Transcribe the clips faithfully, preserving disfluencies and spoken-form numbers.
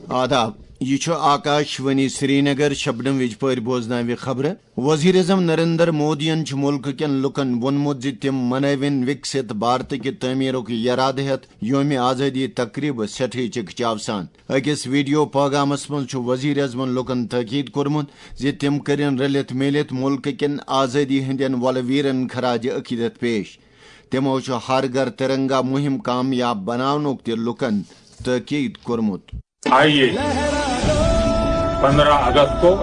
آداب، یہِ چھُ آکاش وانی سرینگر۔ شبنم وِجپٲرۍ بوزناوِ خبرٕ۔ وزیر اعظم نریندر مودیَن چھُ مُلکہٕ کٮ۪ن لُکَن ووٚنمُت زِ تِم منٲوِن وِکسِت بھارتٕکہِ تعمیٖرُک یرادٕ ہٮ۪تھ یومِ آزٲدی تقریبہٕ سٮ۪ٹھٕے چِکہٕ چاو سان۔ أکِس ویڈیو پٲغامَس منٛز چھُ وزیر اعظمَن لُکَن تٲکید کوٚرمُت زِ تِم کٔرِن رٔلِتھ میٖلِتھ مُلکہٕ کٮ۪ن آزٲدی ہٕنٛدٮ۪ن وۄلہٕ ویرَن خراج عقیدت پیش۔ تِمَو چھُ ہر گھر ترنگا مُہِم کامیاب بناونُک تہِ لُکَن تٲکید کوٚرمُت۔ آئیے، پندرہ اگست کو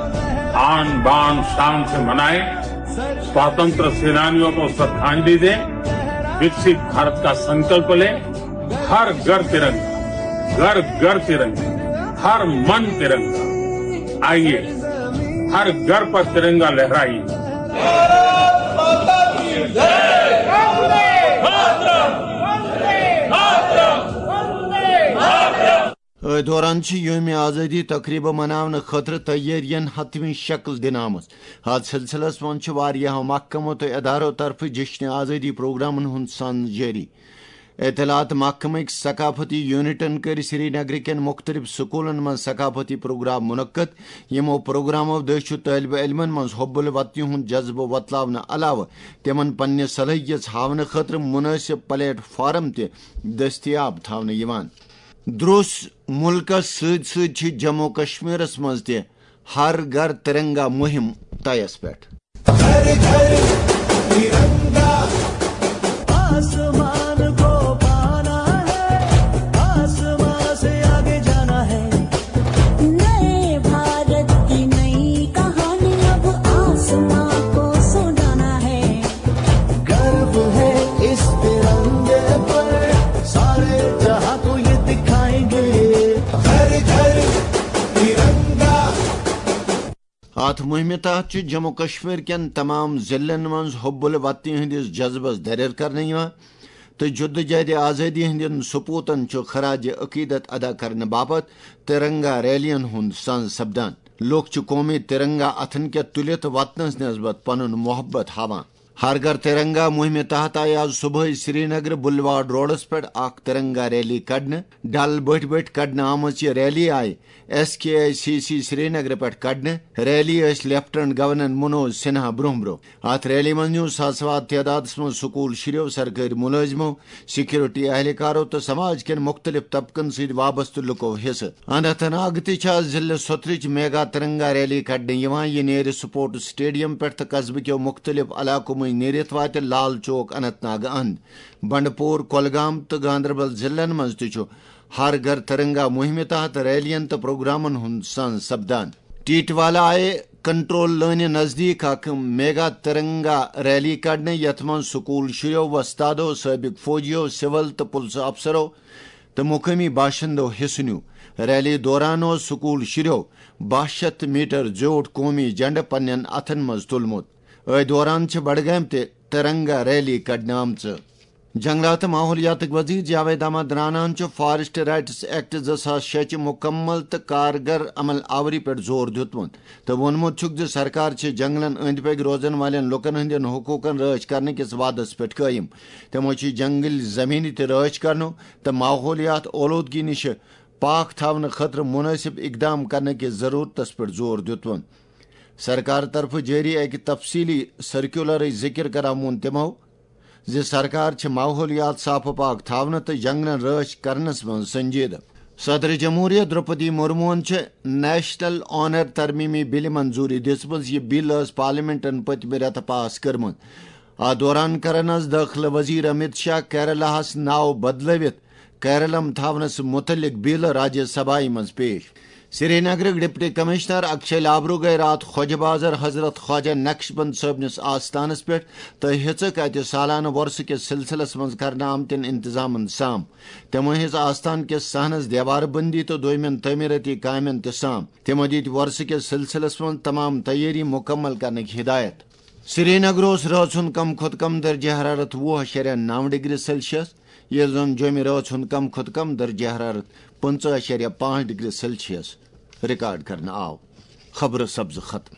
آن بان شان سے منائیں، स्वतंत्र सेनानियों को श्रद्धांजलि दें, विकसित भारत का संकल्प लें, हर घर तिरंगा, घर घर तिरंगा, हर मन तिरंगा। आइए, हर घर पर तिरंगा लहराइए। أتھۍ دوران چھِ یومِ آزٲدی تقریبہٕ مناونہٕ خٲطرٕ تیٲرین حتمی شکل دِنہٕ آمٕژ۔ اتھ سلسلس منٛز چھِ واریاہو محکمو تہٕ ادارو طرفہٕ جشن آزٲدی پروگرامن ہُنٛد سنز جٲری۔ اطلاعات محکمٕکۍ ثقافتی یونٹن کٔرۍ سرینگرٕ کٮ۪ن مُختٔلِف سکوٗلن منٛز ثقافتی پروگرام منعقد۔ یِمو پروگرامو دٔسۍ چھُ طٲلبہِ علمن منٛز حب الوطنی ہُنٛد جذبہٕ وۄتلاونہٕ علاوٕ تِمن پننہِ صلٲحیژ ہاونہٕ خٲطرٕ مُنٲسِب پلیٹ فارم تہِ دٔستیاب تھاونہٕ یِوان۔ درٛوس مُلکس سۭتۍ سۭتۍ چھِ جموں کشمیرس منٛز تہِ ہر گھر ترنگا مُہِم طیس پٮ۪ٹھ۔ घर घर तिरंगा, आसमान को पाना है, आसमान से आगे जाना है। नए भारत की नई कहानी अब आसमान को सुनाना है। गर्व है इस तिरंगे पर, सारे जहां को ये दिखाएंगे। घर घर तिरंगा। اتھ مُہِمہِ تحت چھُ جموں کشمیر کٮ۪ن تمام ضلعن منٛز حب الوطنی ہٕنٛدِس جذبس دریر کرنہٕ یِوان تہٕ جدوجہد آزٲدی ہٕنٛدٮ۪ن سپوتن چھُ خراج عقیدت ادا کرنہٕ باپتھ ترنگا ریلین ہُنٛد سنز سپدان۔ لوٗکھ چھِ قومی ترنگا اتھن کٮ۪تھ تُلِتھ وطنس نسبت پنُن محبت ہاوان۔ ہر گھر ترنگا مُہِمہِ تحت آیہِ آز صبحٲے سرینگرٕ بُلواڈ روڈس پٮ۪ٹھ اکھ ترنگا ریلی کڑنہٕ۔ ڈل بٔٹھۍ بٔٹھۍ کڑنہٕ آمٕژ یہِ ریلی آیہِ S K I C C سرینگرٕ پٮ۪ٹھ کڑنہٕ۔ ریلی ٲسۍ لیفٹیننٹ گورنر منوج سنہا برونٛہہ برونٛہہ۔ اتھ ریلی منٛز نیوٗ ساسہٕ واد تعدادس منٛز سکوٗل شُرٮ۪و، سرکٲرۍ مُلٲزمو، سکیورٹی اہلکارو تہٕ سماج کٮ۪ن مُختٔلِف طبقن سۭتۍ وابستہٕ لُکو حصہٕ۔ اننت ناگ تہِ چھِ آز ضلعہٕ سوترٕچ میگا ترنگا ریلی کڑنہٕ یِوان۔ یہِ نیرِ سپورٹس سٹیڈیم پٮ۪ٹھ تہٕ قصبہٕ کٮ۪و مُختٔلِف علاقو مٔنٛزۍ نیٖرِتھ واتہِ لال چوک اننت ناگ اند۔ بنڈپور، کۄلگام تہٕ گاندربل ضلعن منٛز تہِ چھُ ہر گھر ترنگا مُہِمہِ تحت ریلین تہٕ پروگرامن ہُنٛد سنز سپدان۔ ٹیٹوالا آیہِ کنٹرول لٲنہِ نزدیٖک اکھ میگا ترنگا ریلی کڑنہٕ، یتھ منٛز سکوٗل شُرٮ۪و، وۄستادو، سٲبق فوجیو، سول تہٕ پُلسہٕ افسرو تہٕ مقٲمی باشندو حصہٕ نیوٗ۔ ریلی دوران اوس سکوٗل شُرٮ۪و باہ شیتھ میٹر زیوٗٹھ قومی جھنڈٕ پننٮ۪ن اتھن منٛز تُلمُت۔ أتھۍ دوران چھِ بڈگامہِ تہِ ترنگا ریلی کڑنہٕ آمژٕ۔ جنگلات تہٕ ماحولیاتٕکۍ وزیر جاوید احمد راناہن چھُ فارسٹ رائٹس ایکٹ زٕ ساس شےٚ چہِ مُکمل تہٕ کارگر عمل آوری پٮ۪ٹھ زور دیُتمُت تہٕ ووٚنمُت چھُکھ زِ سرکار چھِ جنگلن أنٛدۍ پٔکۍ روزن والٮ۪ن لوٗکن ہٕنٛدٮ۪ن حقوٗقن رٲچھ کرنہٕ کِس وعدس پٮ۪ٹھ قٲیِم۔ تِمو چھِ جنگل زمینہِ تہِ رٲچھ کرنُک تہٕ ماحولیات اولودگی نِش پاک تھاونہٕ خٲطرٕ مُنٲسِب اقدام کرنہٕ کِس ضروٗرتس پٮ۪ٹھ زور دیُتمُت۔ سرکار طرفہٕ جٲری اکہِ تفصیلی سرکیولرٕچ ذِکر کران ووٚن تِمو زِ سرکار چھِ ماحولیات صاف و پاک تھاونہٕ تہٕ جنگلن رٲچھ کرنس منٛز سنجیدٕ۔ صدر جمہوریہ درٛوپدی مرموہن چھِ نیشنل آنر ترمیمی بلہِ منظوٗری دِژمٕژ۔ یہِ بل ٲس پارلیمنٹن پٔتمہِ رٮ۪تہٕ پاس کٔرمٕژ۔ اتھ دوران کرن از دٲخلہٕ وزیر امت شاہ کیرلاہس ناو بدلٲوِتھ کیرلم تھاونس متعلق بل راجیہ سبھایہ منٛز پیش۔ سرینگرٕکۍ ڈپٹی کمشنر اکشے لابرو گٔیہِ راتھ خواجہ بازر حضرت خواجہ نقشبند صٲبنِس آستانس پٮ۪ٹھ تہٕ ہیٚژٕکھ اتہِ سالانہٕ وۄرثہٕ کِس سلسلس منٛز کرنہٕ آمتٮ۪ن انتظامن سام۔ تِمو ہیٚژ آستان کِس صحنس دیوار بندی تہٕ دوٚیمٮ۪ن تعمیرٲتی کامٮ۪ن تہِ سام۔ تِمو دِتۍ وۄرثہٕ کِس سلسلس منٛز تمام تیٲری مُکمل کرنٕکۍ ہدایت۔ سرینگر اوس رٲژ ہُنٛد کم کھۄتہٕ کم درجہ حرارت وُہ اَشاریہ نَو ڈگری سیلسیس، ییٚلہِ زن جوٚمہِ رٲژ ہُنٛد کم کھۄتہٕ کم درجہ حرارت پٕنٛژٕہ اَشاریہ پانٛژھ ڈگری سیلسیس ریکارڈ کرنہٕ آو۔ خبرٕ سبزٕ ختم۔